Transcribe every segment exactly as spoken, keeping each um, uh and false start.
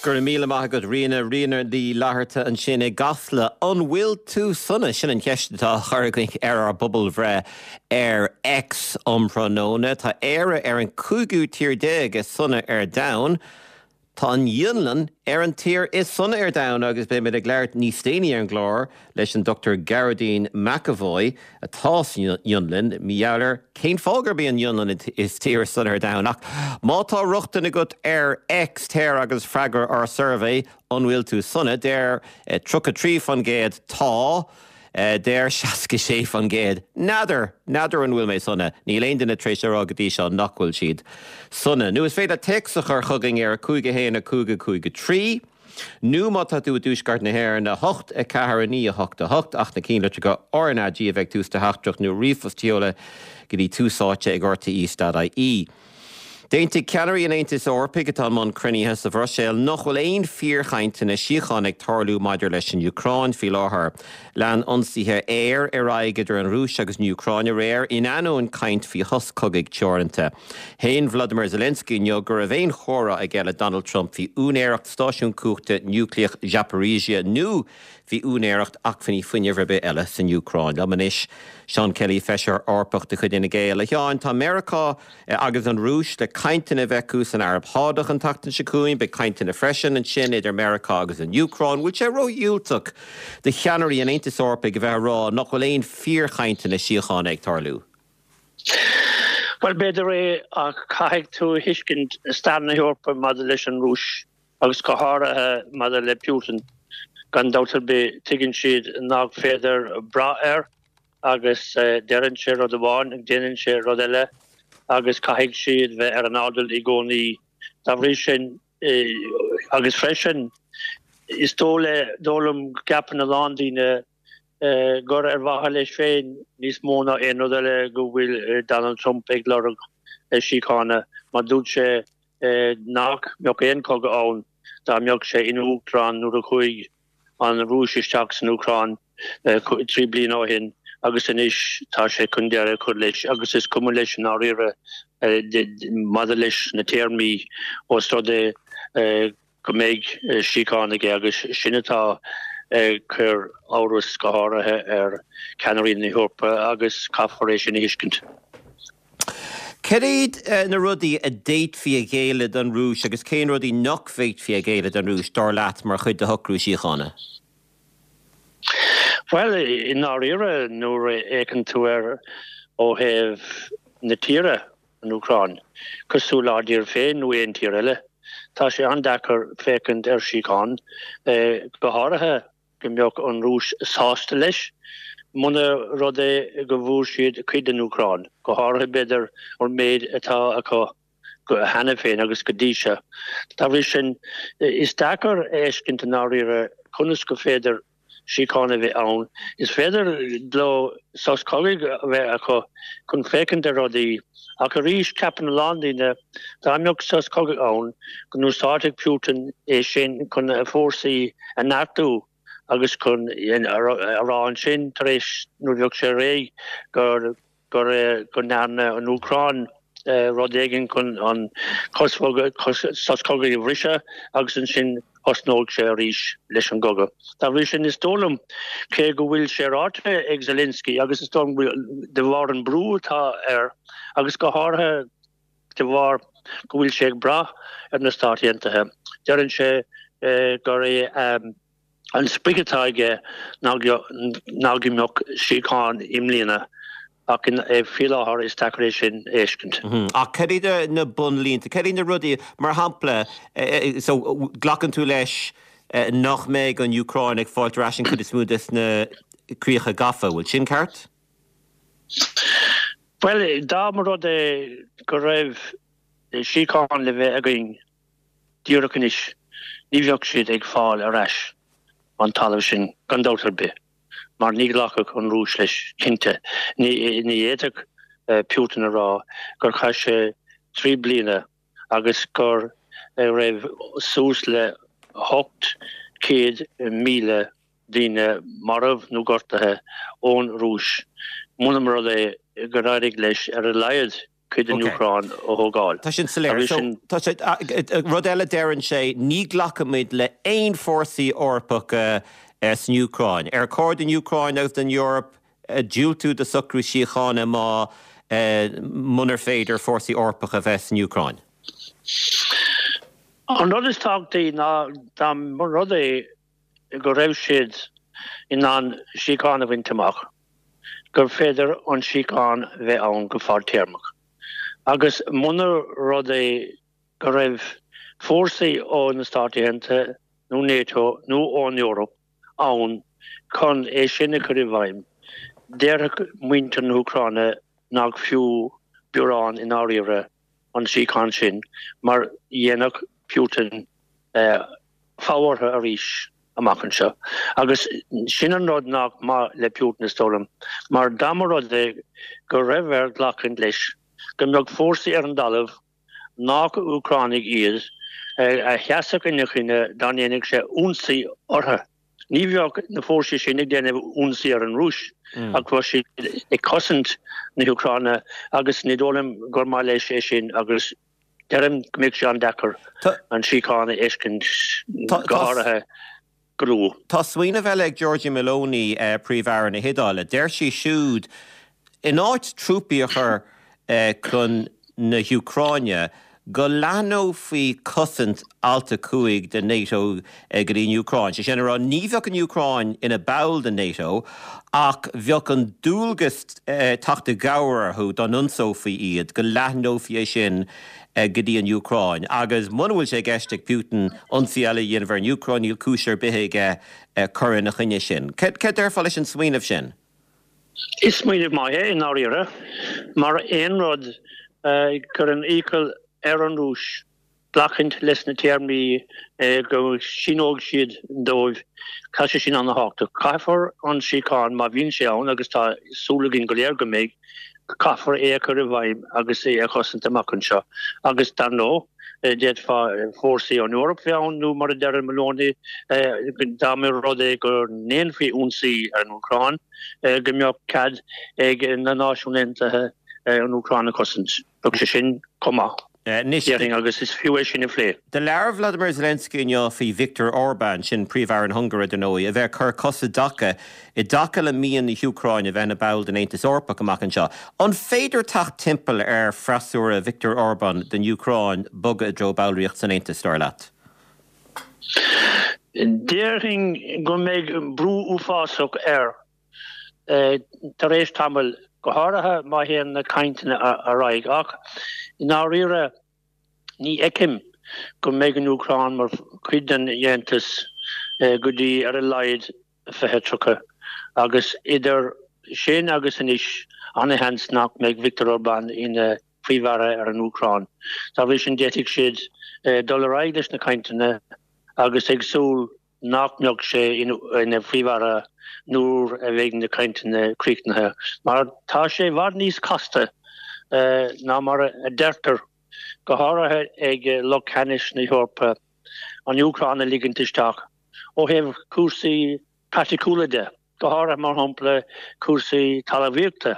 Go raibh míle maith agat Ríona Ríona Ní Fhlatharta ansin i gCasla an bhfuil tú sona sin an cheist atá curtha againn ar ár bpobalbhreith ar X um thráthnóna Tá Éire ar an cúigiú tír déag is sona ar domhan. Tá an Fhionlainn ar an tír is sona ar domhan agus beimid ag labhairt níos déanaí ar an gclár leis an Dr Gearóidín McEvoy atá san Fhionlainn mar gheall ar cén fáth gurb í an Fhionlainn is tír is sona ar domhan ach má tá rochtain agat ar X téir agus freagair ár suirbhé an bhfuil tú sona deir tríocha trí faoin gcéad tá. Deir seasca sé faoin gcéad. N'fheadar n'fheadar an bhfuil mé sona, níl aon duine tar éis a rá go dtí seo nach bhfuil siad sona. Nó is féidir téacs a chur chugainn ar a cúig a haon a cúig a cúig a trí, nó má tá tú i dtuaisceart na hÉireann a hocht a ceathair a naoi a hocht a hocht ach na cinnlitreacha RnaG a bheith ag tús do theachtaireacht nó ríomhphost a sheoladh go dtí tús áite ag rte.ie. D'aontaigh ceannairí an Aontais Eorpaigh atá i mbun cruinnithe sa Bhruiséil nach bhfuil aon fíorchainteanna síochána ag tarlú maidir leis an Úcráin faoi láthair. Lean ionsaithe aeir ar aghaidh idir an Rúis agus an Úcráin aréir in ainneoin caint faoi shos cogaidh teoranta. Shéan Vladimir Zelensky inniu go raibh aon chomhrá aige le Donald Trump faoi úinéireacht stáisiún cumhachta núicléach Zaporizhzhia nó faoi úinéireacht acmhainní fuinnimh ar bith eile san Úcráin. Liom anois Seán Kelly feisire Eorpach de chuid Fhine Gael. A Sheáin tá Meiriceá agus an Rúis le cainteanna a bheith acu san Araib Shádach an tseachtain seo chugainn, beidh cainteanna freisin ansin idir Meiriceá agus an Úcráin, bhfuil sé ródhiúltach do cheannairí an Aontais Eorpaigh a bheith ag rá nach bhfuil aon fíorchainteanna síochána ag tarlú. Bhuel b'fhéidir é ach caithfidh tú a thuiscint stair na hEorpa maidir leis an Rúis agus go háirithe maidir le Putin. Gan dabht ar bith tuigeann siad nach féidir brath air agus deireann sé rud amháin ag déanann sé rud eile agus caithfidh siad bheith ar an airdeall i gcónaí. Dá bhrí sin agus freisin is dóigh le dóigh liom go gceapann a lán daoine gur ar mhaithe leis féin níos mó ná aon rud eile go bhfuil Donald Trump ag lorg síochána mar dúirt sé nach mbeadh aon chogadh ann dá mbeadh sé ina uachtarán nuair a chuaigh an Rúis isteach san Úcráin trí bliana ó shin agus anois tá sé chun deireadh a chur leis agus is cuma leis i ndáiríre maidir leis na téarmaí ós rud é go mbeidh síocháin aige agus sin atá ag cur amhras go háirithe ar cheannairí na hEorpa agus caithfear é sin a thuiscint. Cad iad na rudaí a d'fhéadfaí a ghéilleadh don Rúis agus cén rudaí nach bhféadfaí a ghéilleadh don Rúis dar leat mar chuid de shocrú síochána? Bhuel, i ndáiríre nuair a fhéachann tú air ó thaobh na tíre, an Úcráin, cosúil lenár dtír féin nó aon tír eile, tá sé an-deacair féachaint ar síocháin, go háirithe go mbeadh an Rúis sásta leis, muna rud é go bhfuair siad cuid den Úcráin, go háirithe b'fhéidir an méid atá acu cheana féin agus go dtí seo. Dá bhrí sin, is deacair a fheiscint i ndáiríre conas go féidir síocháin a bheith ann. Is féidir leo sos cogaidh a bheith acu chun féachaint ar rudaí, ach arís ceapann a lán daoine dá mbeadh sos cogaidh ann go n-úsáidfeadh Putin é sin chun a fórsaí a neartú agus chun a rá ansin tar éis nuair a bheadh sé réidh gur gur go ndearna an Úcráin rud éigin chun an sos cogaidh a bhriseadh agus ansin thosnódh sé arís leis an gcogadh. Dá bhrí sin, is dóigh liom, cé go bhfuil sé ráite ag Zelensky agus is dóigh liom de bharr an brú atá air agus go háirithe de bharr go bhfuil sé ag brath ar na Stáit Aontaithe, deireann sé gur é An sprioc atá aige ná go mbeadh síocháin i mbliana ach faoi láthair is deacair é sin a fheiscint. Ach cad iad na bunlínte, cad iad na rudaí, mar shampla, so glacann tú leis nach mbeidh an Úcráin ag fáilt ar ais an chuid is mó des na críocha gafa, bhfuil sin ceart? Bhuel, dá mba rud é go raibh síocháin le bheith againn díreach anois, ní bheadh siad ag fáil ar ais an talamh sin gan dabht ar bith, mar ní ghlacfadh an Rúis leis, cinnte. Ní fhéadfadh Putin a rá gur chaith sé trí bliana agus go raibh suas le hocht céad míle daoine marbh nó gortaithe ón Rúis, muna mba rud é gur éirigh leis ar a laghad cuid den Úcráin a thógáil. Tá sin soiléir. So, tá sé, rud eile deireann sé, ní ghlacfaimid le aon fórsaí Eorpacha san Úcráin. Ar chóir don Úcráin agus don Eoraip diúltú do socrú síochána má munar féidir fórsaí Eorpacha a bheith san Úcráin? An rud is tábhachtaí ná dá mba rud é go raibh siad in ann síocháin a bhaint amach, gur féidir an síocháin bheith ann go fadtéarmach. Agus muna rud é go raibh fórsaí ó na Stáit Aontaithe nó NATO nó ón Eoraip ann chun é sin a chur i bhfeidhm, déarfadh muintir na hÚcráine nach fiú biorán i ndáiríre an síocháin sin mar dhéanfadh Putin fogha orthu arís amach anseo. Agus sin an rud nach maith le Putin is dóigh liom, mar dá mba rud é go raibh air glacadh leis go mbeadh fórsaí ar an dtalamh nach Úcránaigh iad a sheasfadh ina choinne dá ndéanfadh sé ionsaí orthu. Ní bheadh na fórsaí sin ag déanamh ionsaí ar an Rúis ach bheadh siad ag cosaint na hÚcráine agus ní dóigh liom gur maith leis é sin agus deirim go mbeadh sé an-deacair an síocháin a fheiscint go háirithe go luath. Tá smaoineamh eile ag Giorgia Meloni, Príomh-Aire na hIodáile. Deir sí siúd, in áit trúpaí a chur chun na hÚcráine, go leathnófaí cosaint Alt a cúig de NATO go dtí an Úcráin. Sé sin a rá, ní bheadh an Úcráin ina ball de NATO ach bheadh an dualgas teacht i gcabhair orthu dá n-ionsófaí iad, go leathnófaí é sin go dtí an Úcráin. Agus muna bhfuil sé i gceist ag Putin ionsaí eile a dhéanamh ar an Úcráin, níl cúis ar bith aige cur ina choinne sin. Céard a déarfá leis an smaoineamh sin? Is smaoineamh maith é i ndáiríre, mar aon rud a chuireann iachall ar an Rúis glacaint leis na téarmaí go síneoidh siad dóibh, tá sé sin an-thábhachtach. Caithfear an síocháin, má bhíonn sé ann, agus tá súil againn go léir go mbeidh, caithfear é a chur i bhfeidhm agus é a chosaint amach anseo. Agus dar ndóigh, d'fhéadfá fórsaí ón Eoraip bheith ann nó mar a deir Meloni, dá mba rud é go ndéanfaí ionsaí ar an Úcráin, go mbeadh cead ag na Náisiúin Aontaithe an Úcráin a chosaint. Bheadh sé sin chomh maith, déarfainn, agus is fiú é sin a phlé. Do labhair Vladimir Zelensky inniu faoi Viktor Orbán, sin Príomh-Aire na hUngáire, dar ndóigh, a bheith ag cur cos i dtaca i dtaca le mian na hÚcráine a bheith ina ball den Aontas Eorpach amach anseo. An féidir teacht timpeall ar freasúra Viktor Orbán don Úcráin bogadh i dtreo ballraíocht san Aontas, dar leat? Déarfainn go mbeidh brú uafásach air tar éis tamaill, go háirithe má théann na cainteanna ar aghaidh, ach i ndáiríre ní fheicim go mbeidh an Úcráin mar chuid den Aontas go dtí ar a laghad fiche tríocha, agus idir sin agus anois an-sheans nach mbeidh Viktor Orbán ina Phríomh-Aire ar an Úcráin. Dá bhrí sin d'fhéadfadh siad dul ar aghaidh leis na cainteanna agus ag súil nach mbeadh sé ina Phríomh-Aire nuair a bheidh na cainteanna críochnaithe, mar tá sé i bhfad níos casta ná mar a deirtear, go háirithe ag lucht ceannais na hEorpa, an Úcráin a ligint isteach ó thaobh cúrsaí praiticiúla de, go háirithe mar shampla cúrsaí talmhaíochta.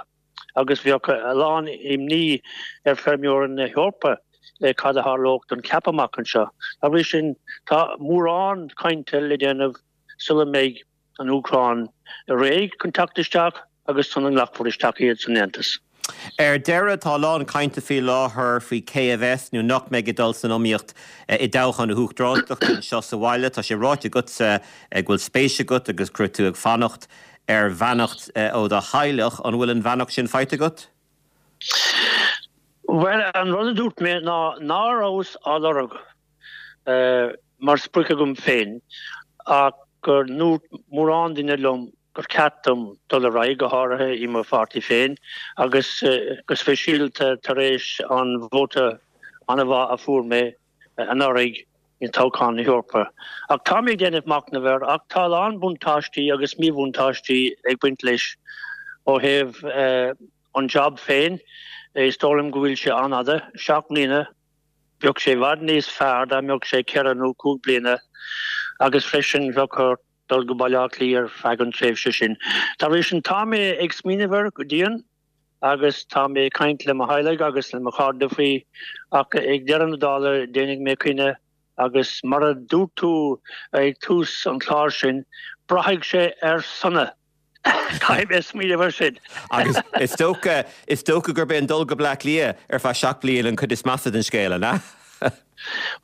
agus bheadh a lán imní ar feirmeoirí na hEorpa cad a tharlódh don CAP amach anseo. Dá bhrí sin, tá mórán cainte le déanamh sula mbeidh an Úcráin réidh chun teacht isteach agus sula nglacfar isteach iad san Aontas. Ar deireadh, tá a lán cainte faoi láthair faoi cé a bheas nó nach mbeidh ag dul san iomaíocht i dtoghchán na huachtaránachta anseo sa bhaile. Tá sé ráite agatsa go bhfuil spéis agat agus go raibh tú ag fanacht ar bheannacht ó do theaghlach, an bhfuil an bheannacht sin faighte agat? Bhuel, an rud a dúirt mé ná ná rabhas á lorg mar sprioc agam féin ach go ndúirt mórán duine liom gur cheart dom dul ar aghaidh, go háirithe i mo pháirtí féin agus go speisialta tar éis an vóta an-mhaith a fuair mé anuraidh i dtoghchán na hEorpa. Ach tá mé ag déanamh machnaimh air, ach tá a lán buntáistí agus míbhuntáistí ag baint leis ó thaobh an job féin. Is dóigh liom go bhfuil sé an-fhada, seacht mbliana. Bheadh sé i bhfad níos fearr dá mbeadh sé ceithre nó cúig bliana agus freisin bheadh ort dul go Baile Átha Cliath ar feadh an tréimhse sin. Dá bhrí sin tá mé ag smaoineamh air go dian. agus tá mé ag caint le mo theaghlach agus le mo chairde faoi ach ag deireadh na dála déanfaidh mé cinneadh agus mar a dúirt tú ag tús an chláir sin, braithfidh sé ar sona. Caithfidh mé smaoineamh air sin. Agus is dócha is dócha gurb é an dul go Bleá Cliath ar feadh seacht bliain an cuid is measa den scéal, an ea?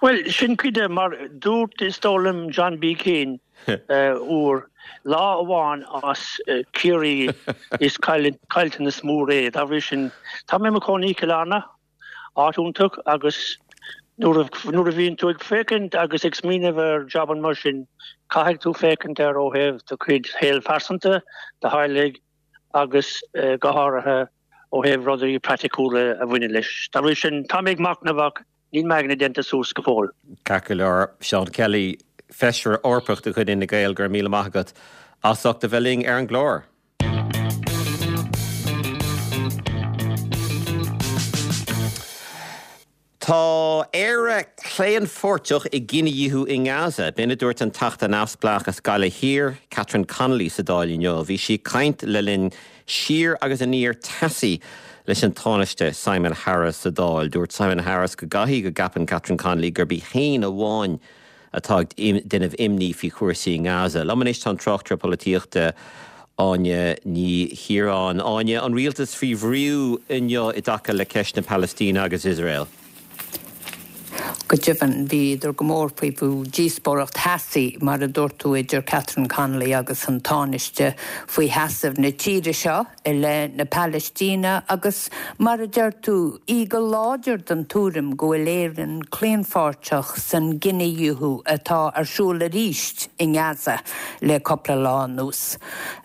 Bhuel, sin cuid de, mar dúirt is dóigh liom John B. Keane uair, lá amháin as Ciarraí is caillteanas mór é. Dá bhrí sin, tá mé i mo chónaí i Cill Airne, áit iontach, agus nuair a bhíonn tú ag féachaint agus ag smaoineamh ar jabanna mar sin, caithfidh tú féachaint air ó thaobh do chuid shaol phearsanta, do theaghlaigh agus go háirithe ó thaobh rudaí praiticiúla a bhaineann leis. Dá bhrí sin, tá mé ag machnamh ach níl m'aigne déanta suas go fóill. Ceart go leor, Seán Kelly, Feisire Eorpach de chuid Fhine Gael, go raibh míle maith agat as ucht a bheith linn ar an gclár. Tá Éire claonpháirteach i gcinedhíothú i nGaza. B'in a dúirt an Teachta Neamhspleách as Gaillimh Thiar, Catherine Connolly sa Dáil inniu. Bhí sí ag caint le linn siar agus aniar teasaí leis an Tánaiste Simon Harris sa Dáil. Dúirt Simon Harris go gcaithfidh go gceapann Catherine Connolly gurb í féin amháin atá ag déanamh imní faoi chúrsaí i nGaza. Liom anois tá an tráchtaire polaitíochta Áine Ní Chiaráin. Áine, an rialtas faoi bhrú inniu i dtaca le ceist na Palaistíne agus Iosrael? Go deimhin, bhíodar go mór faoi bhrú. Díospóireacht theasaí, mar a dúirt tú, idir Catherine Connolly agus an Tánaiste faoi sheasamh na tíre seo i leith na Palaistíne agus, mar a deir tú, í go láidir den tuairim go bhfuil Éirinn claonpháirteach san gcinedhíothú atá ar siúl arís i nGaza le cúpla lá anuas.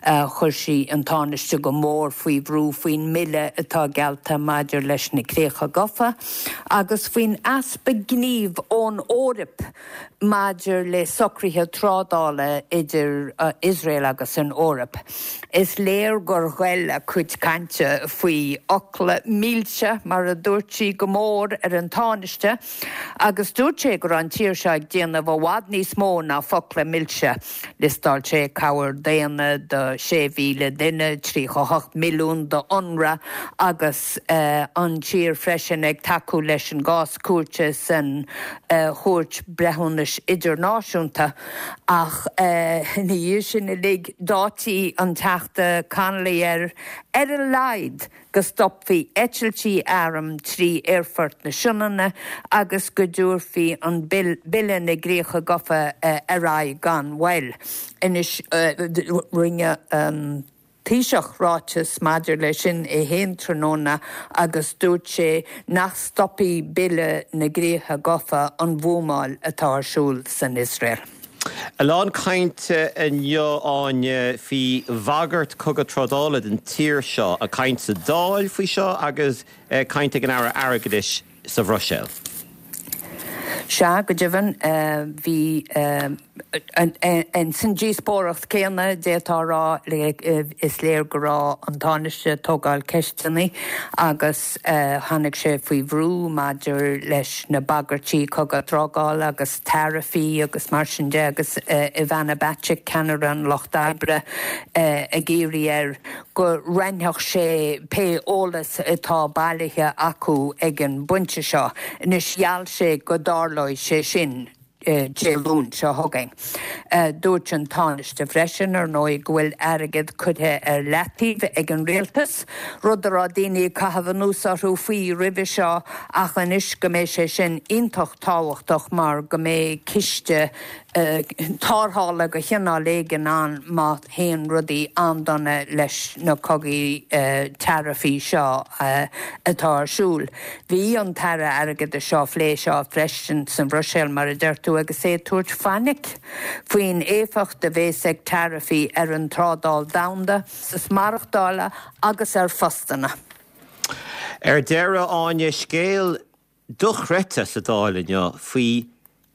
Chuir sí an Tánaiste go mór faoi bhrú faoin mbille atá geallta maidir leis na Críocha Gafa agus faoin easpa gnímh ón Eoraip maidir le socruithe trádála idir Iosrael agus an Eoraip. Is léir gur ghoill a cuid cainte faoi fhocla milse, mar a dúirt sí, go mór ar an Tánaiste agus dúirt sé go raibh an tír seo ag déanamh i bhfad níos mó ná focla milse. Liostáil sé cabhair daonna do sé mhíle duine, tríocha a hocht milliún do UNRWA agus an tír freisin ag tacú leis an gcás cúirte san Chúirt Breithiúnais Idirnáisiúnta. Ach ina dhiaidh sin uilig, d'áitigh an Teachta Connolly air, ar a laghad, go stopfaí eitiltí arm trí Aerfort na Sionainne agus go dtabharfaí an Bille na gCríocha Gafa ar aghaidh gan mhoill. Anois, rinne an Taoiseach ráiteas maidir leis sin é féin tráthnóna agus dúirt sé nach stopfaidh Bille na gCríocha Gafa an bhuamáil atá ar siúl san Iosrael. A lán cainte inniu, Áine, faoi bhagairt cogadh trádála don tír seo, caint sa Dáil faoi seo agus caint ag an Aire Airgeadais sa Bhruiséil. Sea, go deimhin, bhí san díospóireacht céanna, d'fhéadfá a rá, is léir go raibh an Tánaiste ag tógáil ceisteanna agus tháinig sé faoi bhrú maidir leis na bagairtí cogadh trádála agus taraifí agus mar sin de agus Ivana Bacik, ceannaire an Lucht Oibre, ag iarraidh air go roinnfeadh sé pé eolas atá bailithe acu ag an bpointe seo. Anois, gheall sé go dtarlóidh sé sin Dé Luain seo chugainn. Dúirt an Tánaiste freisin, ar ndóigh, go bhfuil airgead curtha ar leataobh ag an rialtas, rud a raibh daoine ag caitheamh anuas orthu faoi roimhe seo ach anois go mbeidh sé sin iontach tábhachtach mar go mbeidh ciste tarrthála de chineál éigin ann má théann rudaí an-dona leis na cogaí taraifí seo atá ar siúl. Bhí an tAire Airgeadais á phlé seo freisin sa Bhruiséil, mar a deir tú, agus é ag tabhairt fainic faoin éifeacht a bheas ag taraifí ar an trádáil domhanda, costas maireachtála agus ar phostanna. Ar deireadh, Áine, scéal dochreidte sa Dáil inniu faoi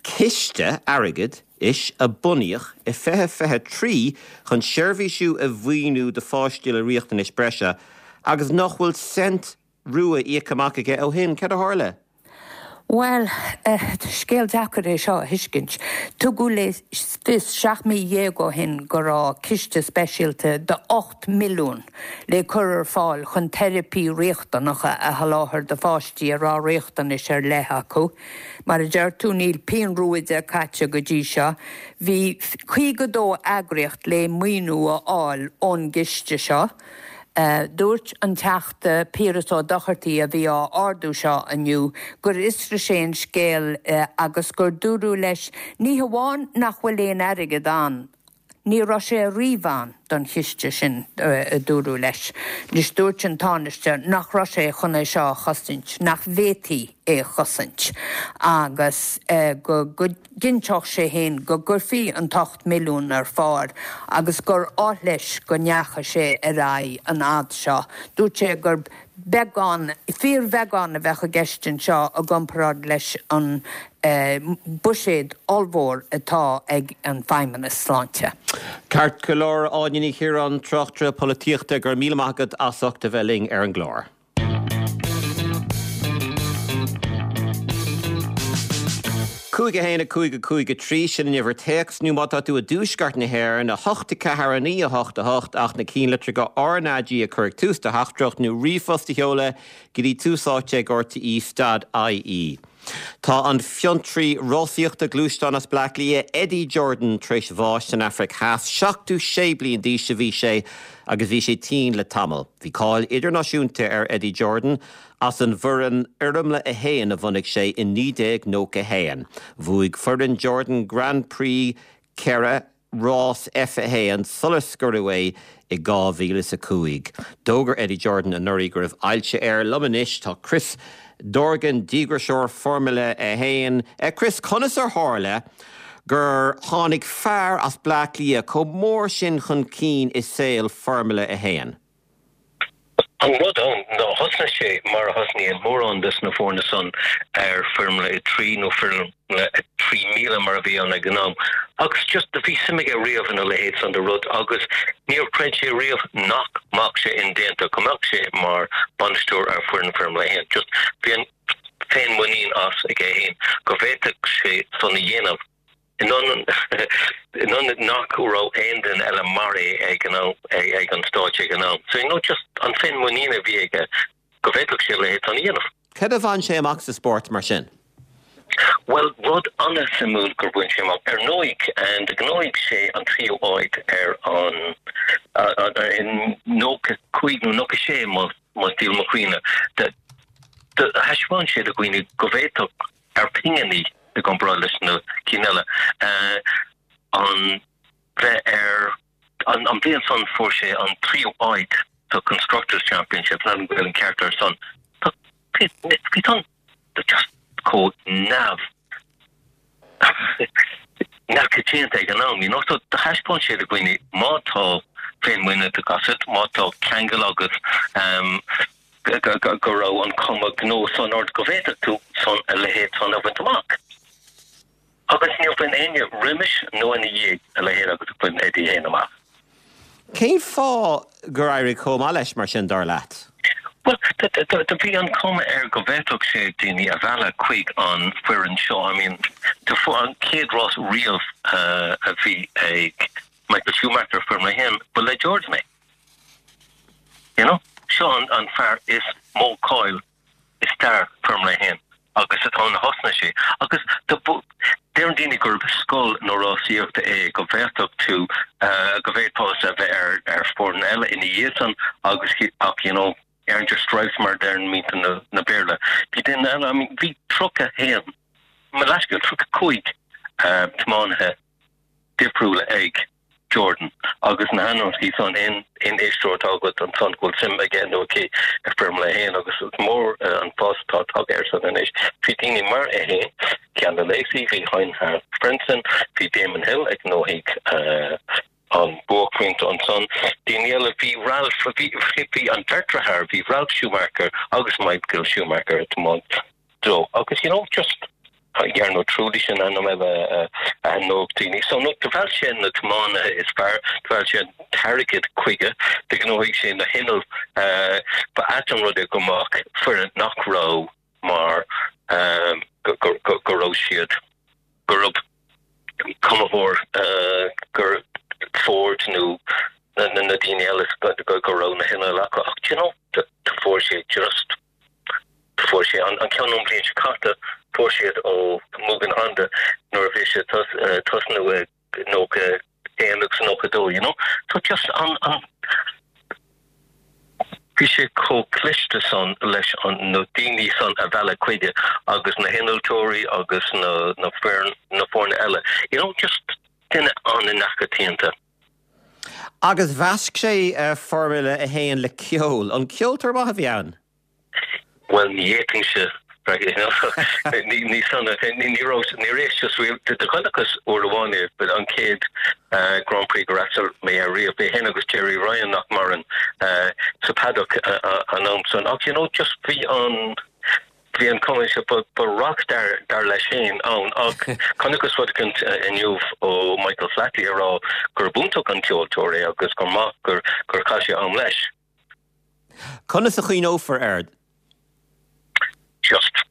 ciste airgeadais a bunaíodh i fiche fiche trí chun seirbhísí a mhaoiniú do pháistí le riachtanais breise agus nach bhfuil cent rua íoctha amach aige ó shin. Cad a tharla? Well, scéal deacair é seo a thuiscint. Tugadh le fios seacht mí dhéag ó shin go raibh ciste speisialta de ocht milliún le cur ar fáil chun teiripí riachtanacha a sholáthar do pháistí a raibh riachtanais ar leith acu. Mar a deir tú níl pingin rua de caite go dtí seo, bhí caoga dó eagraíocht le maoiniú a fháil ón gciste seo. Dúirt an Teachta Piaras Ó Dochartaigh a bhí á ardú seo inniu gur fhiosraigh sé an scéal agus gur dúradh leis ní hamháin nach bhfuil aon airgead ann, ní raibh sé riamh ann don chiste sin, a dúradh leis. Anois dúirt an Tánaiste nach raibh sé chun é seo a chosaint, nach bhféadfaí é a chosaint agus go gcinnteodh sé féin go gcuirfí an t-ocht milliún ar fáil agus gur oth leis go ndeachaigh sé ar aghaidh an fhad seo. Dúirt sé gur beagán, fíorbheagán a bheadh i gceist anseo i gcomparáid leis an buiséad ollmhór atá ag an Feidhmeannas Sláinte. Ceart go leor, Áine Ní Chiaráin, tráchtaire polaitíochta, go raibh míle maith agat as ucht a bheith linn ar an gclár. Cúig a haon a cúig a cúig a trí, sin an uimhir téacs, nó má tá tú i dtuaisceart na hÉireann, a hocht a ceathair a naoi a hocht a hocht, ach na cinnlitreacha R na G a chur ag tús do theachtaireacht nó ríomhphost a sheoladh go dtí tús áite ag rte stad ie. Tá an fiontraí rásaíochta gluaisteán as Bleá Cliath, Eddie Jordan, tar éis bháis san Afraic Theas. Seachtó sé bliain d'aois a bhí sé agus bhí sé tinn le tamall. Bhí cáil idirnáisiúnta ar Eddie Jordan as an bhfoireann Fhoirmle a haon a bhunaigh sé i naoi déag nócha a haon. Bhuaigh foireann Jordan Grand Prix ceithre rás F a haon sular scoireadh é i dhá mhíle is a cúig. D'fhógair Eddie Jordan anuraidh go raibh ailse air. Liom anois tá Chris Dorgan, díograiseoir Foirmle a haon. Chris, conas ar tharla gur tháinig fear as Bleá Cliath chomh mór sin chun cinn i saol Foirmle a haon? An rud ann ná thosnaigh sé mar a thosnaíonn mórán des na foirne san ar Foirmle a trí nó Foirmle a trí míle mar a bhí ann ag an am agus just do bhí suim aige riamh ina leithéid san de rud agus níor chreid sé riamh nach mbeadh sé indéanta go mbeadh sé mar bainisteoir ar foireann Foirmle a haon. Just bhí an féinmhuinín as aige féin go bhféadfadh sé san a dhéanamh. In ionad nach raibh aon duine eile mar é ag an am, ag an stáitse ag an am. So, you know, just an féinmhuinín a bhí aige go bhféadfadh sé a leithéid san a dhéanamh. Cad a bhain sé amach sa spórt mar sin? Bhuel, rud an-suimiúil gur bhain sé amach, ar ndóigh, do ghnóthaigh sé an tríú áit ar an, in nócha cúig nó nócha sé más díl mo chuimhne, do thaispeáin sé do dhaoine go bhféadfadh ar pinginí i gcomparáid leis na cinn eile, an bheith ar an bhliain san fuair sé an tríú áit sa Constructors Championship, níl an Gaelainn ceart ar san. Tá bhí san just chomh neamh neamhchoitianta ag an am, you know, so do thaispeáin sé do dhaoine má tá féinmhuinín agat, má tá ceangal agat um, go raibh an cuma gnó san ort go bhféadfadh tú san a leithéid san a bhaint amach. Agus níor bhain éinne roimis nó ina dhiaidh a leithéid agus a bhain Eddie fhéin amach. Cén fáth gur éirigh chomh maith leis mar sin, dar leat? Bhuel, do bhí an cuma air go bhféadfadh sé daoine a mhealladh chuig an foireann seo. I mean, do fuair an chéad rás riamh a bhí ag Michael Schumacher, Foirmle a haon, ba le Jordan é. You know? Seo an fear is mó cáil i stair Foirmle a haon agus is ann a thosnaigh sé. Agus deireann daoine gurb scoil na rásaíochta é, go bhféadfadh tú, go bhféadfása a bheith ar ar foireann eile ina dhiaidh san agus ach you know, earned your stripes mar a deireann muintir na Béarla. Bhí duine eile, I mean, bhí tríocha haon, mo leithscéal, tríocha cúig tiománaithe difriúla ag Jordan agus na hainmneacha san aon éisteoir atá agat ansan go bhfuil suim aige nó aici i Foirmle a haon agus is mór an fás atá tagtha air san anois. Bhí daoine mar é fhéin, Jean Alesi, bhí Heinz-Harald Frentzen, bhí Damon Hill a ghnóthaigh an buaicphointe ansan, daoine eile, bhí Ralf, bhí bhí an bheirt deartháir, bhí Ralf Schumacher agus Michael Schumacher ag tiomáint dó agus you know just Jarno Trulli sin ainm eile a aithneodh daoine. So no, do mheall sé na tiománaithe is fearr, do mheall sé an t-airgead chuige, do ghnóthaigh sé na hinnill. Ba ait an rud é go mbeadh foireann nach raibh mar raibh siad gurb cumthóir gur Ford nó na na daoine eile go go raibh na hinnill acu ach you know fuair sé just fuair sé an an ceann an bhliain seo caite fuair siad ó Mugen Honda nuair a bhí sé tosnú nócha aon agus nócha dó you know so just an an bhí sé chomh cliste san leis an na daoine san a mhealladh chuige agus na hinnealtóirí agus na na foireann na foirne eile you know just duine an-neachaitianta. Agus mheasc sé uh, Formula a haon le ceol an ceoltóir maith a bhí ann? Well ní fhéadfainnse ní ní ní just de chonacthas uair amháin é an chéad Grand Prix gur fhreastail mé air riamh é féin agus Jerry Ryan nach maireann sa paddock an am san ach you know just bhí an bhí an cuma se ba rockstar dar leis féin ann ach chonacthas rud inniu ó Michael Flatley a rá gur b'iontach an ceoltóir é agus gur maith gur gur chaith sé am leis. Conas a chuimhneofar air? Just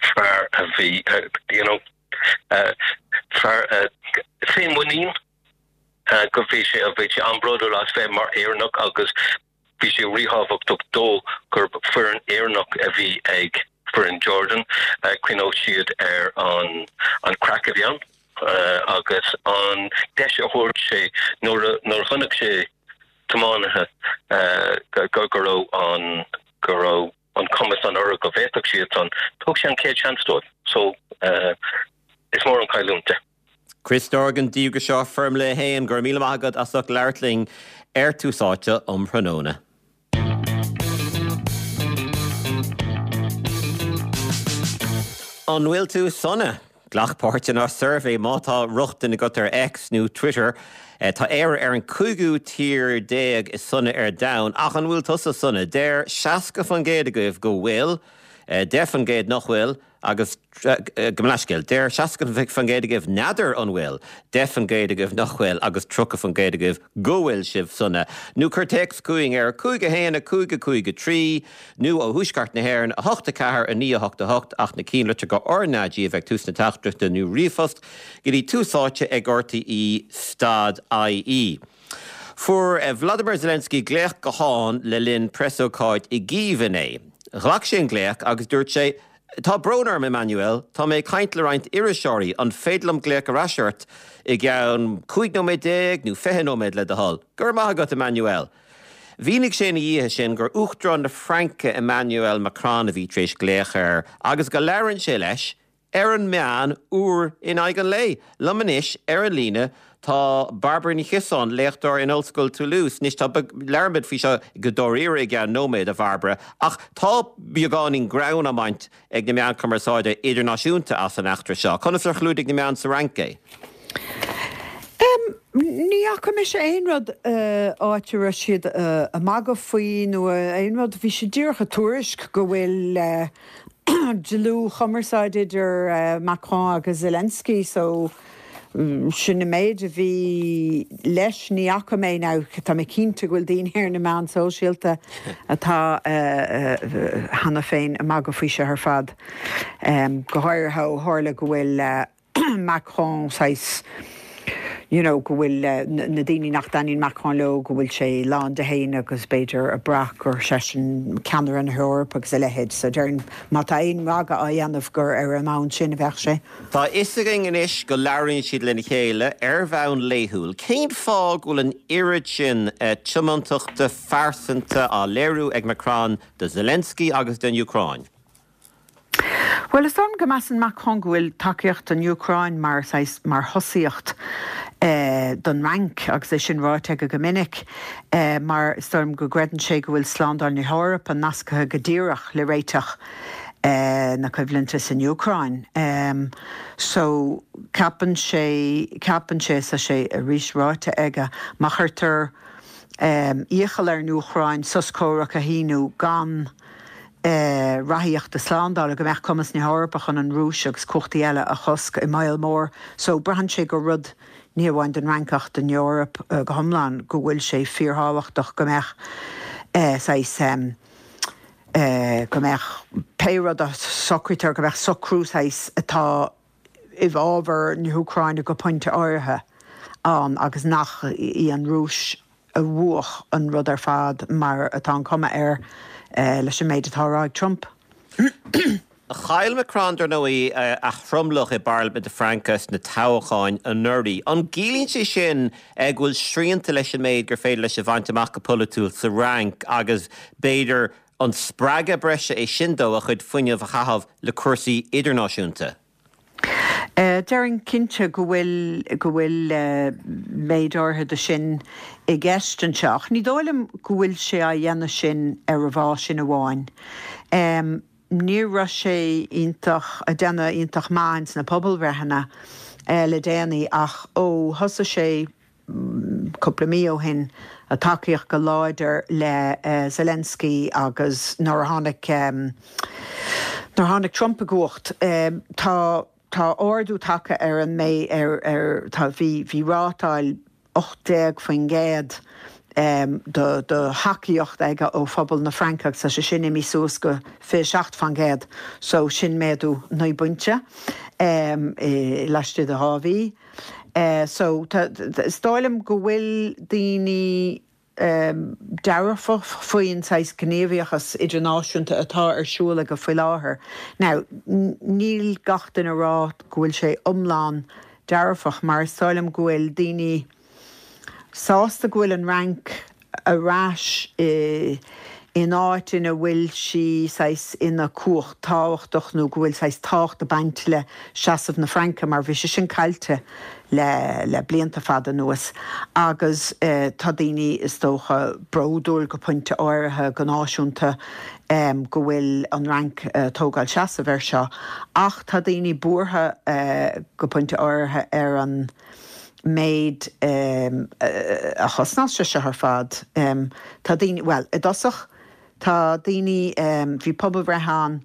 fear a bhí you know uh, fear uh, féinmhuinín uh, go bhí sé a bhí sé an-bhródúil as bheith mar Éireannach agus bhí sé ríthábhachtach dó gur foireann Éireannach a bhí ag foireann Jordan uh, cuimhneodh siad ar an an craic a bhí ann uh, agus an deis a thabhairt sé nuair nuair chonaic sé tiománaithe uh, go go raibh an go raibh an cumas an orthu go bhféadfadh siad an thug sé an chéad seans dóibh so uh, is mór an chailliúint é. Chris Dorgan díograiseoir Formula a haon go raibh míle maith agat as ucht labhairt linn ar Tús Áite um thráthnóna. An bhfuil tú sona? Glac páirt inár suirbhé má tá rochtain agat ar X nó Twitter. Eh, tá Éire ar an cúigiú tír déag is sona ar domhan ach an bhfuil tusa sona deir seasca faoin gcéad agaibh go bhfuil, eh, deich faoin gcéad nach bhfuil agus eh, go leiscéil deir seasca faoin gcéad agaibh n'fheadar an bhfuil, deich faoin gcéad agaibh nach bhfuil agus tríocha faoin gcéad agaibh go bhfuil sibh sona. Nó cuir téacs chugainn ar cúig a haon a cúig a cúig a trí nó ó thuaisceart na hÉireann a hocht a ceathair a naoi a hocht a hocht ach na cinnlitreacha RnaG a bheith ag tús na teachtaireachta nó ríomhphost go dtí tús áite ag RTÉ stad IE. Fuair eh, Vladimir Zelensky glaoch gutháin le linn preasócáid i gCív inné. Ghlac sé an glaoch agus dúirt sé, Tá brón orm Emmanuel, tá mé ag caint le roinnt iriseoirí an féidir liom glaoch ar ais ort i gceann cúig nóiméad déag nó fiche nóiméad le do thoil. Go raibh maith agat Emmanuel. Mhínigh sé ina dhiaidh sin gur Uachtarán na Fraince Emmanuel Macron a bhí tar éis glaoch air agus go labhrann sé leis ar an meán uair in aghaidh an lae. Liom anois ar an líne tá Bairbre Ní Chiosáin, léachtóir in Ollscoil Toulouse. Anois tá labhróimid faoi seo go dáiríre i gceann nóiméad a Bhairbre, ach tá beagáinín greann á bhaint ag na meáin chumarsáide idirnáisiúnta as an eachtra seo. Conas ar chlúdaigh na meáin sa Fhrainc é? Ní fhaca mise aon rud áit a raibh siad ag magadh faoi nó aon rud bhí sé díreach ag tuairisc go bhfuil dlúthchumarsáid idir Macron agus Zelensky so sin an méid a bhí leis ní fhaca mé now tá mé cinnte go bhfuil daoine ar na meáin sóisialta atá cheana féin ag magadh faoi seo ar fad. Go háirithe ó tharla go bhfuil Macron saghas you know, go bhfuil na daoine nach dtaitníonn Macron leo go bhfuil sé lán de fhéin agus b'fhéidir ag brath gur seisean ceannaire na hEorpa agus a leithéid. So déarfainn má tá aon mhagadh á dhéanamh gur ar an mbonn sin a bheadh sé. Tá a fhios againn anois go labhraíonn siad lena chéile ar bhonn laethúil. Cén fáth go bhfuil an oiread sin tiomantachta phearsanta á léiriú ag Macron do Zelensky agus don Úcráin? Bhuel, is dóigh liom go measann Macron go bhfuil tacaíocht don Úcráin mar saghas mar thosaíocht don Fhrainc agus é sin ráite aige go minic mar is dóigh liom go gcreideann sé go bhfuil slándáil na hEorpa nasctha go díreach le réiteach na coimhlinte san Úcráin. So ceapann sé ceapann sé is tá sé arís ráite aige má chuirtear iachall ar an Úcráin sos comhraic a shíniú gan ráthaíochta slándála go mbeadh cumas na hEorpa chun an Rúis agus cumhachtaí eile a chosc i mbaol mór. So braitheann sé gur rud ní amháin don Fhrainc ach don Eoraip go hiomlán go bhfuil sé fíorthábhachtach go mbeadh saghas go mbeadh pé rud a socraítear go mbeadh socrú saghas atá i bhfabhar na hÚcráine go pointe áirithe ann agus nach í an Rúis a bhuaigh an rud ar fad mar atá an cuma air leis an méid atá á rá ag Trump. Chaill Macron, dar ndóigh, a thromlach i bParlaimint na Fraince sna toghcháin anuraidh. An gciallaíonn sé sin go bhfuil srianta leis an méid gur féidir leis a bhaint amach go polaitiúil sa Fhrainc agus b'fhéidir an spreagadh breise é sin dó a chuid fuinnimh a chaitheamh le cúrsaí idirnáisiúnta? Déarfainn cinnte go bhfuil go bhfuil méid áirithe de sin i gceist anseo, ach ní dóigh liom go bhfuil sé á dhéanamh sin ar an bhfáth sin amháin. Ní raibh sé iontach, ag déanamh iontach maith ins na pobalbhreitheanna le déanaí ach ó thosaigh sé cúpla mí ó shin ag tacaíocht go láidir le Zelensky agus nuair a tháinig nuair a tháinig Trump i gcumhacht tá tá ardú tagtha ar an mé ar ar tá bhí bhí rátáil ocht déag faoin gcéad do thacaíocht aige ó phobal na Fraince agus tá sé sin imithe suas go fiche seacht faoin gcéad so sin méadú naoi bpointe laistigh de dhá mhí. So is dóigh liom go bhfuil daoine dearfach faoin saghas gníomhaíochas idirnáisiúnta atá ar siúl aige faoi láthair. Now níl gach duine ag rá go bhfuil sé iomlán dearfach mar is dóigh liom go bhfuil daoine sásta go bhfuil an Fhrainc ar ais in áit ina bhfuil sí saghas ina cumhacht tábhachtach nó go bhfuil saghas tábhacht ag baint le seasamh na Fraince mar bhí sé sin caillte le le blianta fada anuas agus tá daoine is dócha bródúil go pointe áirithe go náisiúnta go bhfuil an Fhrainc ag tógáil seasamh air seo ach tá daoine buartha go pointe áirithe ar an méid a chosnós sé seo ar fad. Tá daoine, bhuel, i dtosach, tá daoine, bhí pobalbhreith ann